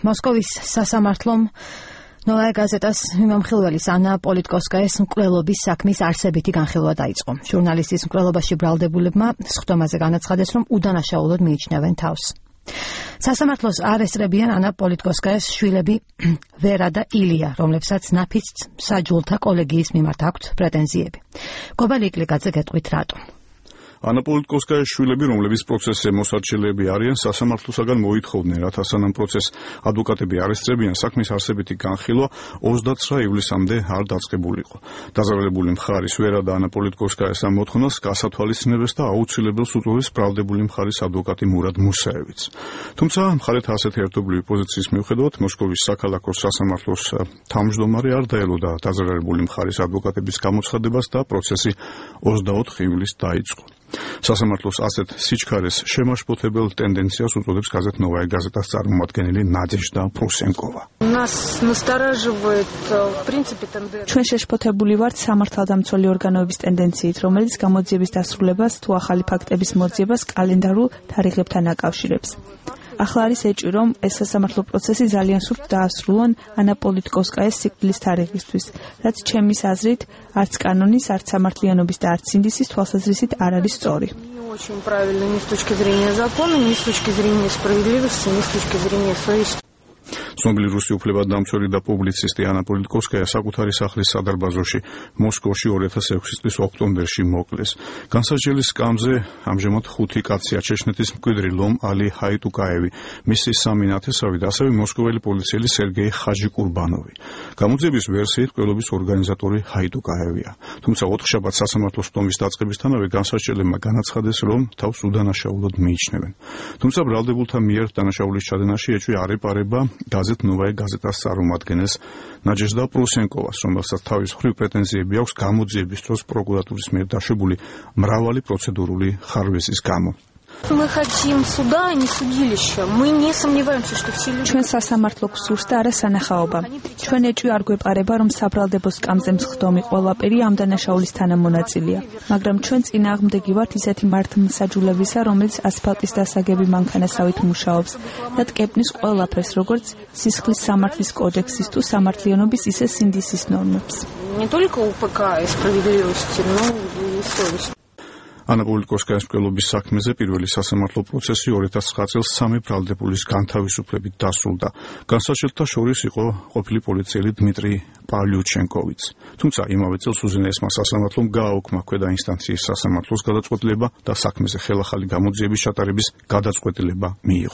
მოსკოვის სასამართლომ ნოვაია გაზეტას მიმამხილველის ანა პოლიტკოვსკაიას მკვლელობის საქმის არსებითი განხილვა დაიწყო. ჟურნალისტის მკვლელობაში ბრალდებულებმა სხდომაზე განაცხადეს, რომ უდანაშაულოდ მიიჩნევენ თავს. სასამართლოს არ ესწრებიან ანა პოლიტკოვსკაიას შვილები ვერა და ილია, რომლებსაც ნაფიც საჯულთა კოლეგიის მიმართ აქვთ პრეტენზიები. გობალი იკლიკაძე გეტყვით რატო. ანა პოლიტკოვსკაიას შვილები, რომლებიც პროცესზე მოსარჩელეები არიან, სასამართლოსაგან მოითხოვდნენ, რათა სანამ პროცესს ადვოკატები არ ესწრებიან, საქმის არსებითი განხილვა 29 ივლისამდე არ დაწყებულიყო. დაზარალებული მხარის ვერა და ანა პოლიტკოვსკაიას ამ მოთხოვნას გასათვალისწინებებს და აუცილებელს უწევს ბრალდებული მხარის ადვოკატი მურად მუსაევიც. თუმცა მხარეთა ასეთი ერთობლივი პოზიციის მიუხედავად, მოსკოვის საქალაქო სასამართლოს თავმჯდომარე არ დაელოდა დაზარალებული მხარის ადვოკატების გამოცხადებას და პროცესი 24 ივლისს დაიწყო. სასამართლოს ასეთ სიჩქარეს შემაშფოთებელ ტენდენციას უწოდებს გაზეთ ნოვაია გაზეტას წარმომადგენელი ნადეჟდა პრუსენკოვა. ჩვენ შეშფოთებული ვართ სამართალდამცველი ორგანოების ტენდენციით, რომელიც გამოძიების დასრულებას თუ ახალი ფაქტების მოძიებას კალენდარულ თარიღებთან აკავშირებს. ახლა არის ეჭვი, რომ ეს სასამართლო პროცესი ძალიან სუფთად დაასრულონ ანა პოლიტკოვსკაიას სიკვდილის თარიღისთვის, რაც ჩემის აზრით არც კანონის, არც სამართლიანობის და არც სინდისის თვალსაზრისით არ არის სწორი. ცნობილი რუსი უფლებადამცველი და პუბლიცისტი ანა პოლიტკოვსკაია საკუთარი სახლის სადარბაზოში მოსკოვში 2006 წლის ოქტომბერში მოკლეს. განსაჯელის სკამზე ამჟამად 5 კაცია: ჩეჩნეთის მკვიდრი ლომ ალი ჰაიტუკაევი, მისი 3 ნათესავი და ასევე მოსკოველი პოლიციელი სერგეი ხაჯიკურბანოვი. გამოძიების ვერსიით მკვლელობის ორგანიზატორი ჰაიტუკაევია. თუმცა ოთხშაბათს სასამართლოს სტომის დაწყებისთანავე განსაჯელებმა განაცხადეს, რომ თავს უდანაშაულოდ მიიჩნევენ. თუმცა ბრალდებულთა მიერ დანაშაულის ჩადენაში ეჭვი არ ეპარება გაზეთ ნოვაია გაზეტას წარმომადგენელს ნადეჟდა პრუსენკოვას, რომელსაც თავის მხრივ პრეტენზიები აქვს გამოძიების დროს პროკურატურის მიერ დაშვებული მრავალი პროცედურული ხარვეზის გამო. ჩვენ სასამართლო გსურს და არა სანახაობა. ჩვენ ეჭვი არ გვეპარება, რომ საბრალდებო სკამზე მსხდომი ყველაფერი ამ დანაშაულის თანამონაწილეა, მაგრამ ჩვენ წინააღმდეგი ვართ ისეთი მართლმსაჯულებისა, რომელიც ასფალტის დასაგები მანქანასავით მუშაობს და ტკეპნის ყველაფერს, როგორც სისხლის სამართლის კოდექსის თუ სამართლიანობის, ისე სინდისის ნორმებს. ანა პოლიტკოვსკაიას მკვლელობის საქმეზე პირველი სასამართლო პროცესი 2009 წელს 3 ბრალდებულის განთავისუფლებით დასრულდა. განსაჯელთა შორის იყო ყოფილი პოლიციელი დმიტრი პავლიუჩენკოვიც. თუმცა იმავე წელს უზენაესმა სასამართლომ გააუქმა ქვედა ინსტანციის სასამართლოს გადაწყვეტილება და საქმეზე ხელახალი გამოძიების ჩატარების გადაწყვეტილება მიიღო.